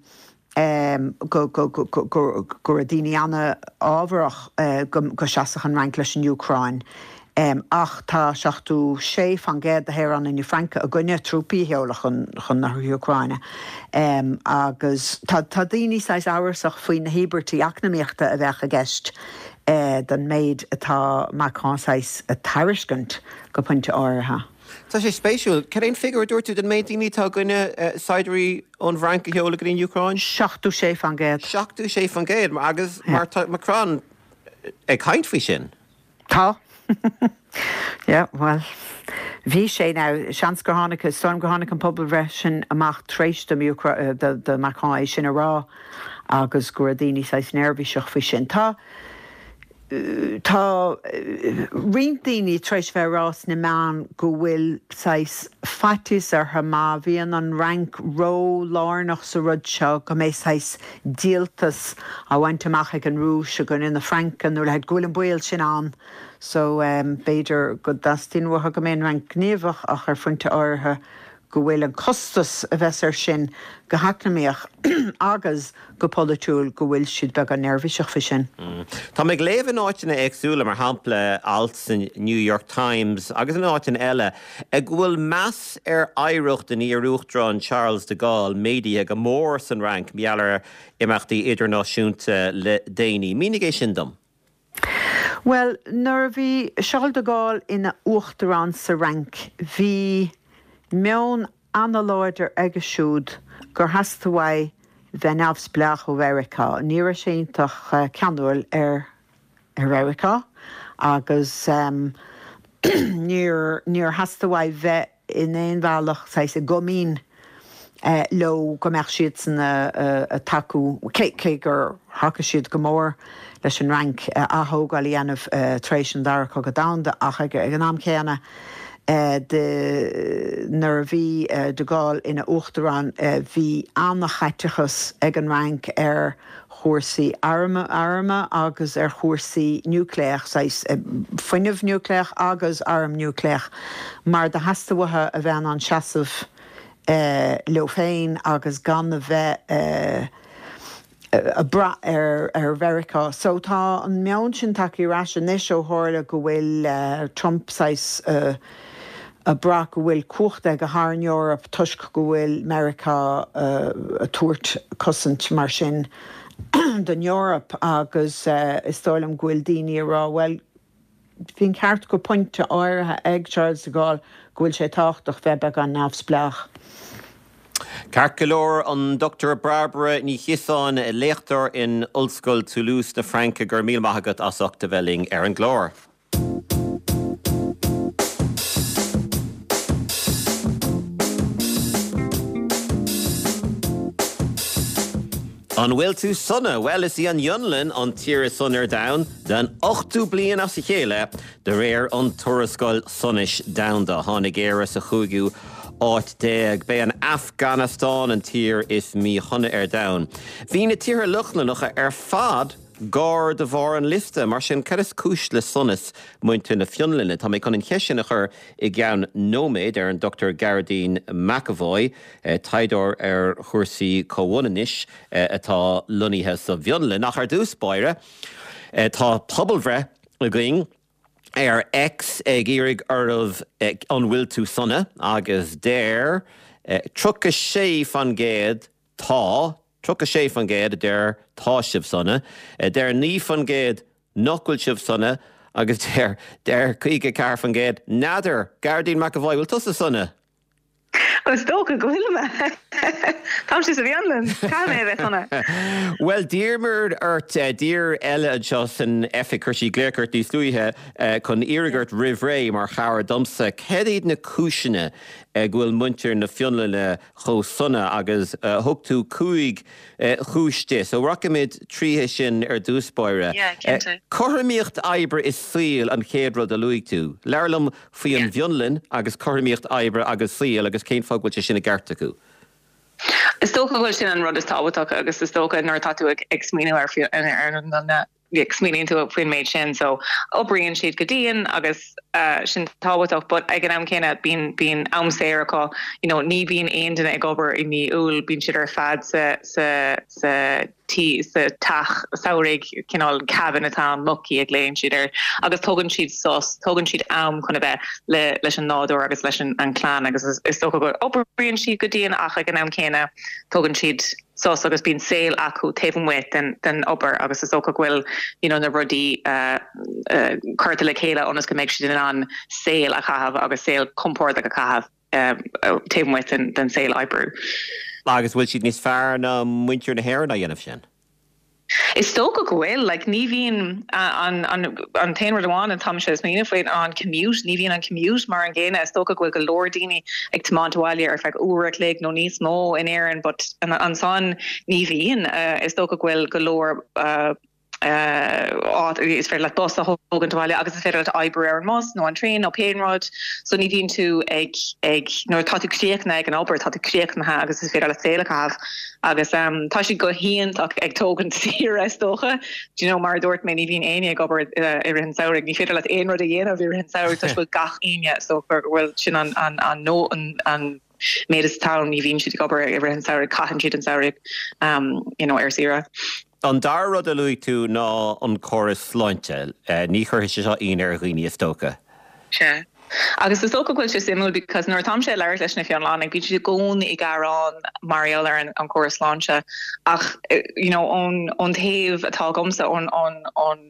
go go raibh daoine an-fhábharach go seasfadh an Fhrainc leis an Úcráin. Ach tá seachtó sé faoin gcéad de shaoránaigh na Fraince i gcoinne trúpaí a sheoladh chun na hÚcráine. Agus tá daoine saghas amhrasach faoi na híobairtí eacnamaíochta a bheadh i gceist don méid atá Macron saghas a tairiscint go pointe áirithe. Tá sé spéisiúil. Cad é an figiúr a dúirt tú den méid daoine atá i gcoinne saighdiúirí ón bhFrainc a sheoladh go dtí an Úcráin? Seachtó sé faoin gcéad. Seachtó sé faoin gcéad agus mar tá Macron ag caint faoi sin. Tá. Yeah, bhuel, bhí sé now, seans gur tháinig, is dóigh liom gur tháinig an pobalbhreith sin amach tar éis do, do Macron é sin a rá agus go raibh daoine saghas neirbhíseach faoi sin. Tá, tá roinnt daoine tar éis bheith ag rá sna meáin go bhfuil saghas faitíos orthu má bhíonn an Fhrainc ró-lárnach sa rud seo go mbeidh saghas díoltas á bhaint amach ag an Rúis i gcoinne na Fraince nó a leithéid, go bhfuil an baol sin ann. So b'fhéidir go dteastaíonn uathu go mbeidh an Fhrainc gníomhach ach ar phointe áirithe go bhfuil an costas a bheas air sin go heacnamaíoch agus go polaitiúil, go bhfuil siad beagán neirbhíseach faoi sin. Tá mé ag léamh in áiteanna éagsúla, mar shampla alt san New York Times agus in áiteanna eile, go bhfuil meas ar oidhreacht an iar-uachtaráin Charles de Gaulle méadaithe go mór san Fhrainc mar gheall ar imeachtaí idirnáisiúnta le déanaí. Mínigh é sin dom. Bhuel, nuair a bhí Charles de Gaulle ina uachtarán sa Fhrainc, bhí meon ana-láidir aige siúd gur theastaigh uaidh bheith neamhspleách ó Mheiriceá. Ní raibh sé iontach ceanúil ar Mheiriceá agus níor níor theastaigh uaidh bheith in aon bhealach saghas i gcomaoin leo go mbeadh siadsan ag tacú, cé gur thacaigh siad go mór leis an Fhrainc aththógáil a dhéanamh tar éis an Dara Cogadh Domhanda ach ag an am céanna de nuair a bhí de Gaulle ina uachtarán bhí an-chaiteachas ag an Fhrainc ar chúrsaí arm agus ar chúrsaí núicléach, saghas fuinneamh núicléach agus arm núicléach, mar do theastaigh uathu a bheith in ann seasamh leo féin agus gan a bheith ag brath ar Mheiriceá. So tá an meon sin tagtha ar ais anois ó tharla go bhfuil Trump saghas ag brath go bhfuil cumhacht aige thar an Eoraip toisc go bhfuil Meiriceá ag tabhairt cosaint mar sin don Eoraip agus uh, is dóigh liom go bhfuil daoine ag rá well bhí an ceart go pointe áirithe ag Charles de Gaulle go bhfuil sé tábhachtach bheith beagán neamhspleách. Ceart go leor an Dr Barbara Ní Chiosáin léachtóir in Ollscoil Toulouse na Fraince go raibh míle maith agat as ucht a bheith linn ar an gclár. An bhfuil tú sona? Well is í an Fhionlainn an tír is sona ar domhan den ochtú bliain as a chéile de réir an tuarascáil sonais domhanda. Tháinig Éire sa chúigiú áit déag. B'é an Afganastáin an tír is míshona ar domhan. Bhí na tíortha Lochlannacha ar fad gar do bharr an liosta, mar sin cad is cúis le sonas muintir na Fionlainne. Tá mé chun an cheist sin a chur i gceann nóiméad ar an Dr Gearóidín McEvoy, eh, taighdeoir ar chúrsaí comhionannais eh, atá lonnaithe sa bhFionlainn. Ach ar dtús báire, eh, tá pobalbhreith againn ar X ag iarraidh oraibh an bhfuil tú sona agus deir tríocha sé faoin gcéad tá tríocha sé faoin gcéad a deir tá sibh sona, deir naoi faoin gcéad nach bhfuil sibh sona agus deir deir caoga ceathair faoin gcéad n'fheadar Gearóidín McEvoy bhfuil tusa sona. Is dócha go bhfuil mé. Táimse sa bhFionlainn, caithfidh mé a bheith sona. Well d'iarramar ort eh, d'iarr eile anseo san oifig chuir sí glaoch ort níos luaithe eh, chun iarraidh ort roimh ré mar chabhair domsa. Cad iad na cúiseanna eh, go bhfuil muintir na Fionlainne chomh sona agus thug tú cúig chúis di. So rachaimid tríothu sin ar dtús báire. Cothromaíocht oibre is saoil an chéad rud a luaigh tú. Labhair liom faoi an bhFionlainn agus cothromaíocht oibre agus saoil agus cén fáth go bhfuil sé sin i gceart acu. Is dócha go bhfuil sin an rud is tábhachtach agus is dócha nuair atá tú ag ag smaoineamh ar ar an ag smaoiníonn tú faoin méid sin so oibríonn siad go dian agus uh, sin tábhachtach but ag an am céanna bíonn bíonn am saor acu you know ní bhíonn aon duine ag obair i mí Iúil bíonn siad ar fad sa sa sa tí sa teach samhraidh cineál cabin atá an mökki a ghlaonn siad air agus tógann siad sos tógann siad am chun a bheith le leis an nádúr agus leis an an clann agus is, is dócha go oibríonn siad go dian ach ag an am céanna tógann siad sos agus bíonn saol acu taobh amuigh den den obair agus is dócha go bhfuil you know na rudaí uh, uh, curtha le chéile ionas go mbeidh siad in ann saol a chaitheamh agus saol compordach a chaitheamh uh, taobh amuigh den, den saol oibre. Agus bhfuil siad níos fearr ná muintir na hÉireann á dhéanamh sin. Is dócha go bhfuil like, ní bhíonn an, an, an t-aon rud amháin atáimse ag smaoineamh faoi an commute, ní bhíonn an commute mar an gcéanna is dócha go bhfuil go leor daoine ag tiomáint abhaile ar feadh uair a chloig nó níos mó in Éirinn, but an, ansan ní bhíonn uh, is dócha go bhfuil go leor uh, uh, is féidir leat bus a thógaint abhaile agus is féidir leat oibriú ar an mbus nó an traein nó pé rud so ní bhíonn tú ag ag nuair tá tú críochnaithe ag an obair tá tú críochnaithe agus is féidir leat saol a chaitheamh agus um, tá siad go hiontach ag tógaint saoire is dócha Do you know mar dúirt mé ní bhíonn éinne ag obair uh, i rith an tsamhraidh ní féidir leat aon rud a dhéanamh i rith an tsamhraidh tá bhfuil gach éinne so bhfuil sin an an an nó an an méid is tá ní bhíonn siad ag obair i rith an tsamhraidh caitheann siad an samhradh um, you know, ar saoire. An dara rud a luaigh tú ná an córas sláinte, ní chuirfidh sé seo ionadh ar dhaoine is dócha. Sea. Agus is dócha go bhfuil sé suimiúil because nuair atáimse ag labhairt leis na Fionlannaigh bíonn siad i gcónaí ag gearán mar gheall ar an, an córas sláinte ach you know, ón, ón taobh atá agamsa ón, ón, ón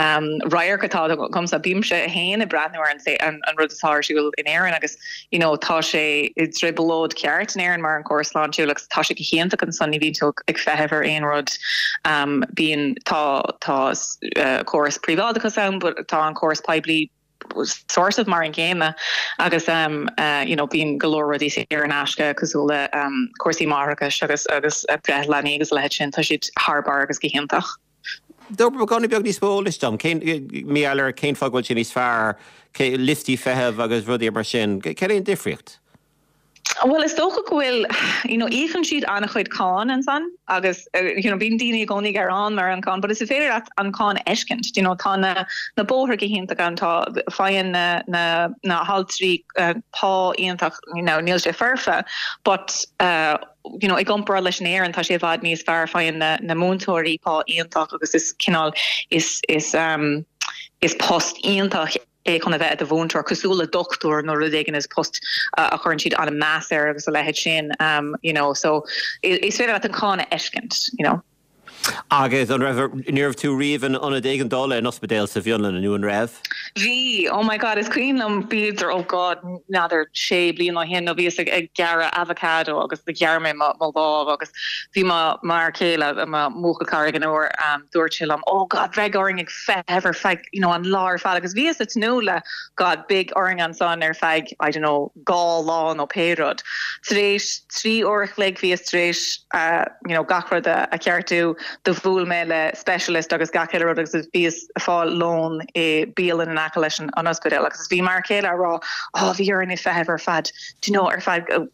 um, radharc atá agamsa bímse féin ag breathnú ar an, an, an rud atá ar siúl in Éirinn agus you know, tá sé i dtrioblóid ceart in Éirinn mar an córas sláintiúil agus tá sé go hiontach ansan ní bhíonn tú ag feitheamh ar aon rud um, bíonn tá tá uh, córas príobháideachas ann, but tá an córas poiblí sort of mar an gcéanna agus um, uh, you know, bíonn go leor rudaí saor in aisce cosúil le um, cúrsaí máithreachais agus agus breith leanaí agus leithéid sin tá siad thar barr agus go hiontach. Tabhair beagán beag níos mó eolais dom cén mí eile cén fáth go bhfuil sé níos fearr liostaí feithimh agus rudaí mar sin, cén é an difríocht? Well is dócha go bhfuil you know, íocann siad an-chuid cáin ansan agus uh, you know, bíonn daoine i gcónaí ag gearán mar an cáin, but is féidir leat an cáin a fheiscint. You know, tá na, na bóithre go hiontach ann tá faigheann na, na, na haltraí uh, pá iontach you know, níl sé foirfe, but uh, you know, i gcomparáid leis an Éirinn tá sé i bhfad níos fearr faigheann na, na múinteoirí pá iontach agus is cineál is, is, um, is post iontach é chun a bheith i do mhúinteoir cosúil le dochtúir nó rud éigin is post a chuireann siad an-mheas air agus a leithéid sin um, you know, so is féidir leat an cáin a fheiscint, you know. Agus an raibh ní raibh tú riamh in ionad éigeandála in ospidéal sa bhFionlainn nó an raibh? Bhí oh my god is cuimhin liom b'fhéidir oh god n'fheadar sé bliana ó shin nó bhíos ag ag gearradh avocado agus do ghearr mé mo mo lámh agus bhí mo m'fhear céile mo bhuachaill cara ag an uair um, dúirt sé liom oh god bheidh orainn ag feitheamh ar feadh you know an lá ar fad agus bhíos ag tnúth le god beidh orainn ansan ar feadh I don't know dhá lá nó pé rud. Tar éis trí uair a chloig bhíos tar éis uh, you know gach rud a, a cheartú do bhuail mé le specialist agus gach uile rud agus bhíos ag fáil lón i bialann in aice leis an an ospidéal agus bhí m'fhear céile ag rá oh bhí orainn ag feitheamh ar fad do you know ar feadh uh,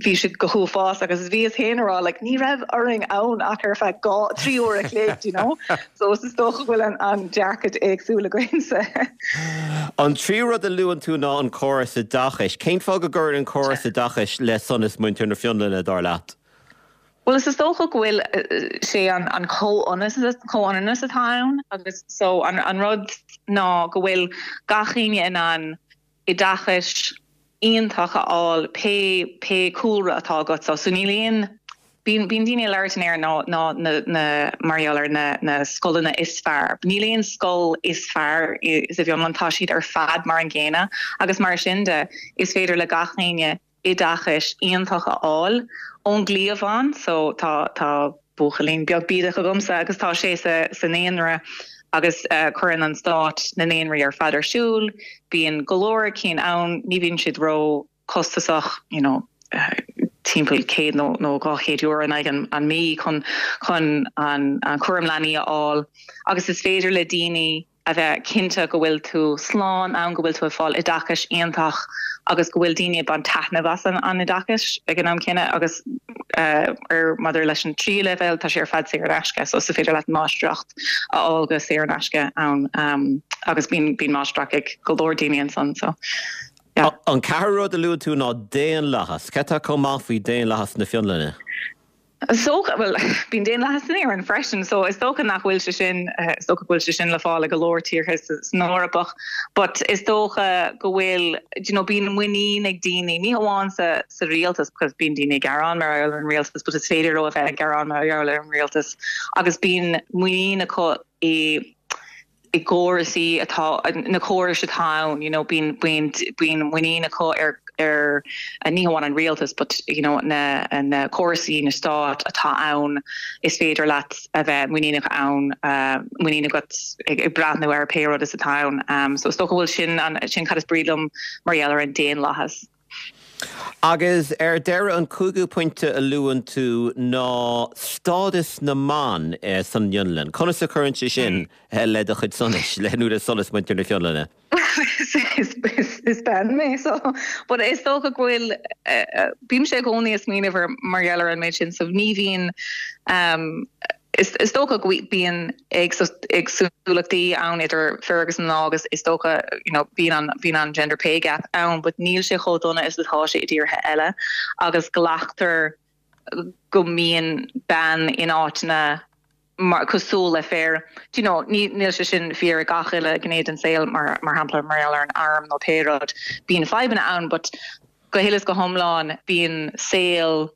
bhí sé go huafásach agus bhíos féin ag rá like ní raibh orainn ann ach ar feadh dhá trí uair a chloig you know so is dócha go bhfuil an an dearcadh éagsúil againse. An tríú rud a luann tú ná an córas oideachais. Cén fáth go gcuireann an córas oideachais le sonas muintir na Fionlainne dar leat? Well is is dócha go bhfuil sé an an comhionannas atá ann agus so an an rud ná go bhfuil gach éinne in ann oideachas iontach a fháil pé pé cúlra atá agat so so níl aon bíonn bíonn daoine ag labhairt in Éirinn ná ná na na mar gheall ar na na scoileanna is fearr. Níl aon scoil is fearr sa bhFionlainn tá siad ar fad mar an gcéanna agus mar sin de is féidir le gach éinne oideachas iontach a fháil ón gcliabhán so tá tá buachaillín beag bídeach agamsa agus tá sé sa sa naíonra agus uh, cuireann an stát na naíonraí ar fad ar siúl, bíonn go leor cinn ann ní bhíonn siad ró costasach you know, uh, timpeall céad nó nó dhá chéad euro in aghaidh an, an mí chun chun an, an cúram leanaí a fháil agus is féidir le daoine a bheith cinnte go bhfuil tú slán ann go bhfuil tú ag fáil oideachas iontach agus go bhfuil daoine ag baint taitneamh as an an oideachas ag an am céanna agus uh, ar maidir leis an tríú leibhéal tá sé ar fad saor in aisce so is féidir leat máistreacht a fháil go saor in aisce ann um, agus bíonn bíonn máistreacht ag go leor daoine ansan so. Yeah. An ceathrú rud a luann tú ná daonlathas, Cad tá chomh maith faoi daonlathas na Fionlainne? So well bíonn daonlathas in Éirinn freisin, so is dócha nach bhfuil sé sin uh, is dócha go bhfuil sé sin le fáil go leor tíortha san Eoraip, but is dócha go bhfuil you know, bíonn muinín ag daoine ní hamháin sa sa rialtas because bíonn daoine ag gearán mar ar an rialtas, but is féidir leo a bheith ag gearán mar ar an rialtas agus bíonn muinín acu i i gcórasaí atá na córais atá ann you know bíonn bíonn bíonn muinín acu ar ar ní hamháin an rialtas but you know na na córasaí na stát atá ann is féidir leat a bheith muiníneach ann uh, muinín agat ag, ag breathnú ar pé rud is atá ann um, so is dócha go bhfuil sin an sin cad is brí liom mar gheall ar an daonlathas. Agus ar deireadh an cúigiú pointe a luann tú ná stádas na mban eh, san Fhionlainn. Conas a chuireann sé sin mm. le do chuid sonais le nó le sonas muintir na Fionlainne. is, is, is bean mé so but is dócha go bhfuil uh, bím sé i gcónaí ag smaoineamh mar gheall ar an méid sin so ní bhíonn um, is, is dócha go bíonn éagsúlachtaí ann idir fir agus mná agus is dócha you know, bíonn an bíonn an gender pay gap ann, but níl sé chomh dona is atá sé i dtíortha eile agus glactar go mbíonn bean in áiteanna mar cosúil le fear you know ní níl sé sin fíor gach uile gné den saol mar mar shampla mar ar an arm nó pé rud bíonn fadhbanna ann but go huile is go hiomlán bíonn saol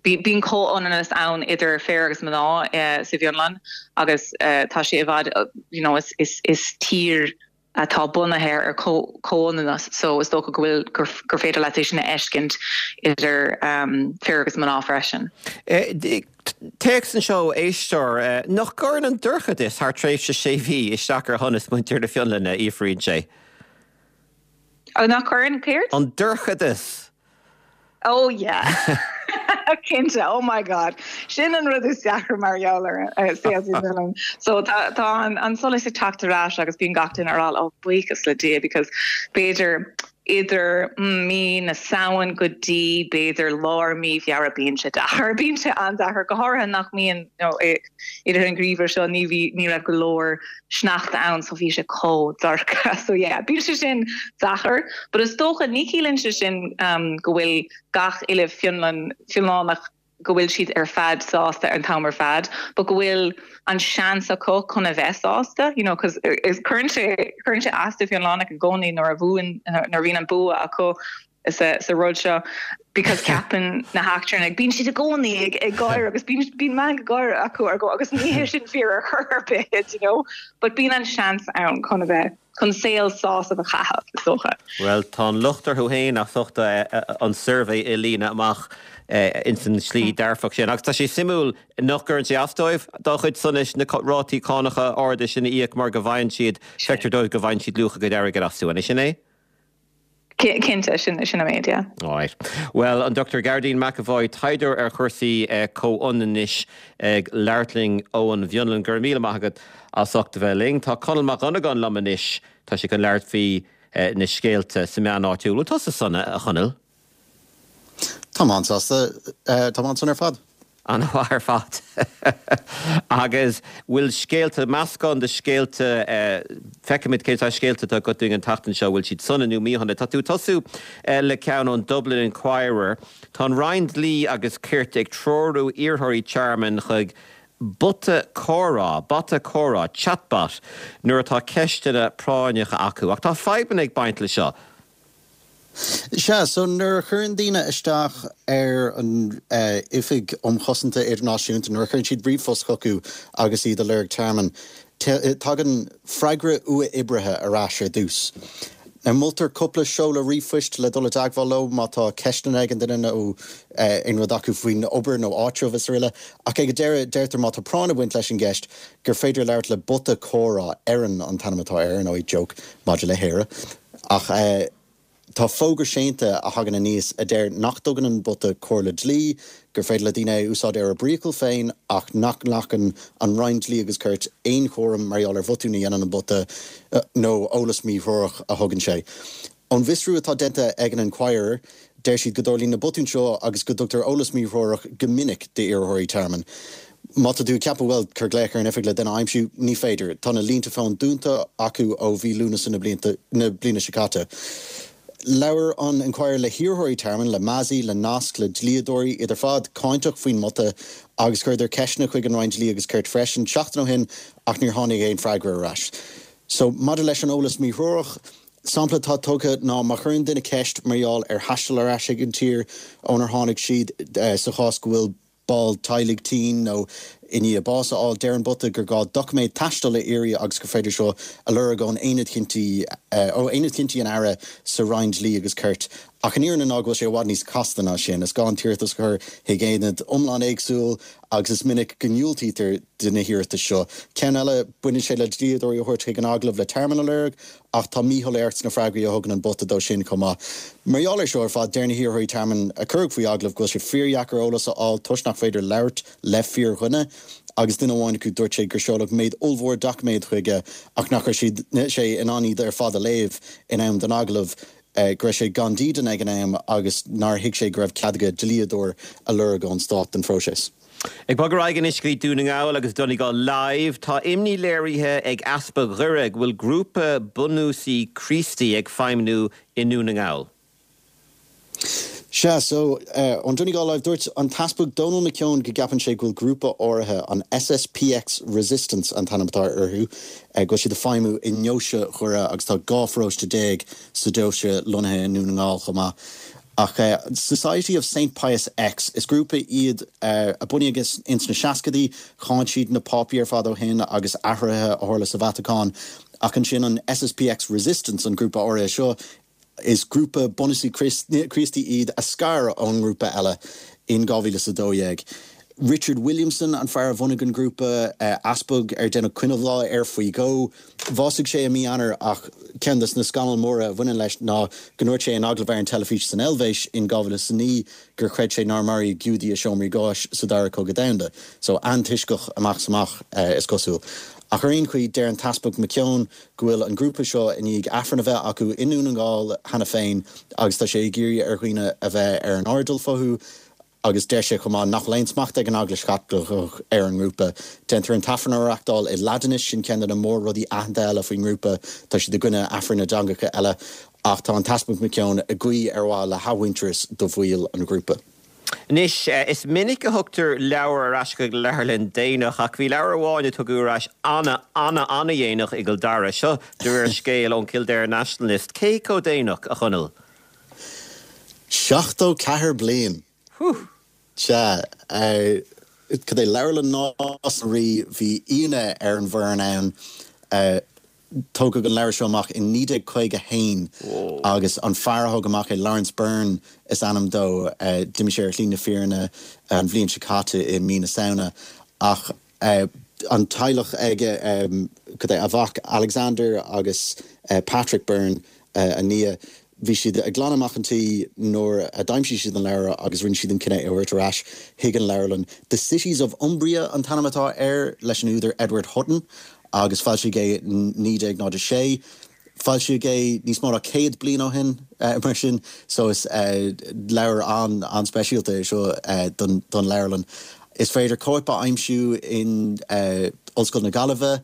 bíonn comhionannas ann idir fir agus mná uh, sa Fhionlainn agus uh, tá sé i bhfad uh, you know, is, is, is tír atá bunaithe ar comhionannas so is dócha go bhfuil gur, gur féidir leat sin a fheiscint idir um, fir agus mná freisin. Téacs anseo éisteoir nach gcuireann an dorchadas thar tréimhse sé mhí isteach ar shonas muintir na Fionlainne fhiafraíonn sé. Nach gcuireann céard? An dorchadas. Oh yeah. Cinnte oh my god sin an rud is deacra mar gheall ar uh, so tá tá an, an solas ag teacht ar ais agus bíonn gach duine ag rá ó buíochas le Dia because b'fhéidir idir mí na Samhain go dtí b'fhéidir lár mí Feabhra bíonn sé deacair bíonn sé an-deacair go háirithe nach mbíonn idir an geimhreadh seo ní bhí ní raibh go leor sneachta ann so bhí sé chomh dorcha so yeah bíonn sé sin deacair but is dócha ní chiallaíonn sé sin um, go bhfuil gach uile Fionlann Fionlannach go bhfuil siad ar fad sásta an t-am ar fad, but go bhfuil an seans acu chun a bheith sásta, you know, cos is cuireann sé cuireann sé as do Fhionlannach i gcónaí nuair a bhuann nuair a bhíonn an bua acu sa sa rud seo because ceapann na heachtrannaigh bíonn siad i gcónaí ag ag gáire agus bíonn bíonn meangadh gáire acu ar go agus ní hé sin fíor ar chor ar bith you know but bíonn an seans ann chun a bheith chun saol sásamh a chaitheamh is dócha. Well tá an locht orthu féin as ucht an suirbhé a líonadh amach insan slí dearfach sin. Agus tá sé suimiúil nach gcuireann sé as dóibh dá chuid sonais na rátaí cánacha arda sin a íoc mar go bhfaigheann siad feictear dóibh go bhfaigheann siad luach a gcuid airgid astu an sin é? Cinnte sin sin an méid, yeah. Right. Well an Dr Gearóidín McEvoy taighdeoir ar chúrsaí eh, comhionannais ag labhairt linn ón bhFionlainn go raibh míle maith agat as ucht a bheith linn. Tá Conall Mac Dhonnagáin liom anois tá sé chun labhairt faoi eh, na scéalta sa meán áitiúil. Bhfuil tusa sona a Chonaill? Tá an-sásta tá an-sona ar fad. An-mhaith ar fad. Agus bhfuil scéalta meascán de scéalta feicimid cé tá scéalta tá go an tseachtain seo bhfuil siad sona nó míshona. Tá tú tosú le ceann ón Dublin Inquirer, Tá an Roinn Dlí agus Cirt ag treorú iarrthóirí tearmainn chuig bota comhrá, bota comhrá, chatbot, nuair atá ceisteanna práinneacha acu, ach tá fadhbanna ag baint le seo. Sea, so nuair a chuireann daoine isteach ar an uh, Oifig um Chosanta Idirnáisiúnta nuair a chuireann siad ríomhphost chucu agus iad ag lorg tearmann, tagann freagra uathoibrithe ar ais ar dtús. Now moltar cúpla seoladh ríomhphoist le dul i dteagmháil leo má tá ceisteanna ag an duine nó aon rud acu faoin obair nó áitreabh is araile, ach ag an deireadh deirtear má tá práinn ag baint leis an gceist gur féidir labhairt le bota comhrá Erin an t-ainm atá air nó joke maidir le hÉire. Ach eh, Tá fógra séanta a thagann aníos a deir nach dtugann an bota comhairle dlí, gur féidir le daoine é a úsáid ar a bpriacal féin ach nach nglacann an Roinn Dlí agus Cirt aon chúram mar gheall ar bhotúin a dhéanann an bota nó eolas míthreorach a thugann sé. Ón bhfiosrú atá déanta ag an Inquirer, deir siad go dtarlaíonn na botúin seo agus go dtugtar eolas míthreorach go minic d'iarrthóirí tearmainn. Má tá tú ag ceapadh bhuel, cuir glaoch ar an oifig le duine a aimsiú, ní féidir. Tá na línte fóin dúnta acu ó mhí Lúnasa na bliana seo caite. Labhair an Inquirer le hiarrthóirí tearmainn, le Mazi, le Nasc, le dlíodóirí, iad ar fad cáinteach faoin mbota agus chuireadar ceisteanna chuig an Roinn Dlí agus Cirt freisin seachtain ó shin ach níor tháinig aon freagra ar ais. So maidir leis an eolas míthreorach, sampla atá tugtha ná má chuireann duine ceist mar gheall ar thaisteal ar ais ag an tír ónar tháinig siad sa chás go bhfuil ball teaghlaigh tinn nó i ndiaidh bás a fháil, deir an bota gur gá doiciméad taistil a iarraidh agus gur féidir seo a lorg ón Aonad Cinntí ó Aonad Cinntí an Aire sa Roinn Dlí agus Cirt. Ach an fhírinne ná go bhfuil sé i bhfad níos casta ná sin. Is gá an t-iarratas a chur chuig aonad iomlán éagsúil agus is minic go ndiúltaítear do na hiarratais seo. Ceann eile, baineann sé le dlíodóirí a thabhairt chuig an agallamh le tearmann a lorg ach tá míshoiléireacht sna freagraí a thugann an bota dó sin chomh maith. Mar gheall air seo ar fad, deir na hiarrthóirí tearmainn a cuireadh faoi agallamh go bhfuil sé fíordheacair eolas a fháil toisc nach féidir labhairt le fíordhuine agus duine amháin acu dúirt sé gur seoladh méid ollmhór doiciméad chuige ach nach raibh siad sé in ann iad ar fad a léamh in am don agallamh, go raibh sé gan dídean ag an am agus nár thuig sé go raibh cead aige dlíodóir a lorg ón stát don phróiseas. Ag bogadh ar aghaidh anois go dtí Dún na nGall agus Donegal Live, tá imní léirithe ag Easpag Dhoire go bhfuil grúpa bunúsaí Críostaí ag feidhmniú i nDún na nGall. Sea, so, ón Donegal Live, dúirt an tEaspag Dónal McKeown go gceapann sé go bhfuil grúpa áirithe, an SSPX Resistance an t-ainm atá orthu, go bhfuil siad ag feidhmiú i ndeoise Dhoire agus tá dhá pharóiste déag sa deoise lonnaithe i nDún na nGall chomh maith. Ach Society of Saint Pius X, is grúpa iad a bunaíodh ins na seascaidí, cháin siad na Pápaí ar fad ó shin agus athruithe a tharla sa Vatacáin. Ach ansin an SSPX Resistance, an grúpa áirithe seo, is grúpa bunúsaí Críostaí iad a scar ón ngrúpa eile in dhá mhíle is a dó dhéag. Richard Williamson an fear a bhunaigh an grúpa, easpag ar deineadh coinneal bhá air faoi dhó. Bhásaigh sé i mí Eanáir ach ceann de na scannail mhóra a bhaineann leis ná go ndúirt sé in agallamh ar an teilifís san Eilvéis in dhá mhíle is a naoi gur chreid sé nár maraíodh Giúdaigh i seomraí gáis sa Dara Cogadh Domhanda. So antoisceach amach is amach, is cosúil. Ach ar aon chaoi, deir an tEaspag McKeown go bhfuil an grúpa seo i ndiaidh Aifreann a bheith acu i nDún na nGall cheana féin agus tá sé ag iarraidh ar dhaoine a bheith ar an airdeall fúthu agus deir sé chomh maith nach bhfuil aon smacht ag an Eaglais Chaitliceach ar an ngrúpa. Déantar an tAifreann a reachtáil i Laidinis, sin ceann de na mór-rudaí aitheanta eile faoin ngrúpa, tá siad i gcoinne Aifrinn i dteangacha eile ach tá an tEaspag McKeown ag guí ar mhaithe le hathmhuintearas do bhaill an ghrúpa. Anois, is minic a thugtar leabhar ar ais chuig leabharlann déanach, ach bhí leabhar amháin a tugadh ar ais ana, ana, ana-dhéanach i gCill Dara. Seo de réir scéil ón Kildare Nationalist. Cé chomh déanach, a Chonaill? Seachtó ceathair bliain. Sea. Cad é Leabharlann Nás na Rí, bhí ionadh ar an bhfoireann ann. Tógadh an leabhar seo amach in naoi déag caoga a haon agus an fear a thóg amach é, Laurence Byrne is ainm dó, d'imigh sé ar shlí na fírinne an bhliain seo caite i mí na Samhna ach an teaghlach aige, cad é, a mhac Alexander agus Patrick Byrne, a nia, bhí siad ag glanadh amach an tí nuair a d'aimsigh siad an leabhar agus rinne siad an cinneadh é a thabhairt ar ais chuig an leabharlann. The Cities of Umbria an t-ainm atá air, leis an údar Edward Hutton agus foilsíodh é in naoi déag náid a sé. Foilsíodh é níos mó ná céad bliain ó shin mar sin so is leabhar an-an-speisialta é seo don don leabharlann. Is féidir cóip a aimsiú in Ollscoil na Gaillimhe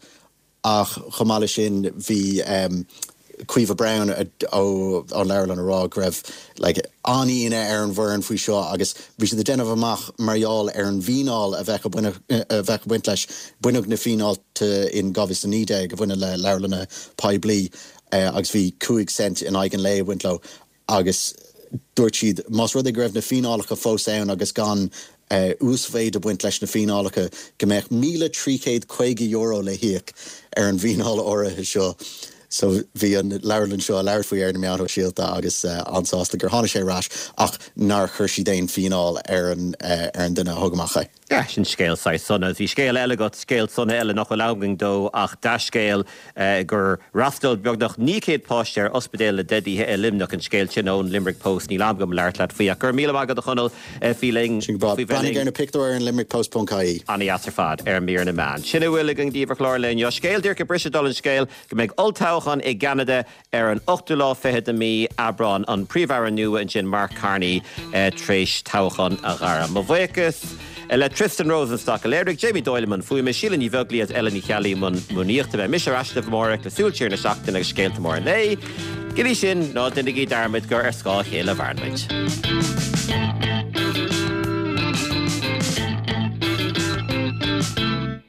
ach chomh maith leis sin bhí Caoimhe Browne ón leabharlann ag rá go raibh like an-ionadh ar an bhfoireann faoi seo agus bhí siad ag déanamh amach mar gheall ar an bhfíneáil a bheadh a bheadh ag baint leis, baineadh na fíneáilte in dhá mhíle is a naoi déag a bhaineann le leabharlanna poiblí agus bhí cúig cent in aghaidh an lae ag baint leo agus dúirt siad más rud é go raibh na fíneálacha fós ann agus gan uasmhéid ag baint leis na fíneálacha go mbeadh míle trí chéad caoga euro le híoc ar an bhfíneáil áirithe seo. So bhí an leabharlann seo ag labhairt faoi ar na meáin shóisialta agus an-sásta gur tháinig sé ar ais ach nár chuir siad aon fíneáil ar an ar an duine a thug amach é. Yeah, sin scéal saghas sona. Bhí scéal eile agat, scéal sona eile nach bhfuil am againn dó ach dea-scéal gur fhreastail beagnach naoi céad páiste ar Ospidéal na dTeidithe i Luimneach, an scéal sin ón Limerick Post. Níl am agam labhairt leat faoi ach go raibh míle maith agat a Chonaill faoi linn, Sin go breá. faoi bheith Breathnaigh linn. ar na pictiúir ar an limerickpost.ie. Ana-dheas ar fad ar mír na meán. Sin a bhfuil againn daoibh ar chlár an lae inniu. Scéal díreach ag briseadh dála an scéil go mbeidh olltoghchán i gCeanada ar an ochtú lá fichead de mí Aibreán. An Príomh-Aire nua ansin Mark Carney tar éis toghchán a ghairm. Mo bhuíochas le Tristan Rosenstock a léirigh, Jamie Doyle i mbun fuaime, Síle Ní Bheaglaoí agus Ella Ní Cheallaigh i mbun múnaíochta. Beidh mise ar ais libh amárach le Súil Siar na Seachtaine agus scéalta móra an lae. Go dtí sin, ná déanaigí dearmad gur ar scáth a chéile a mhaireann muid.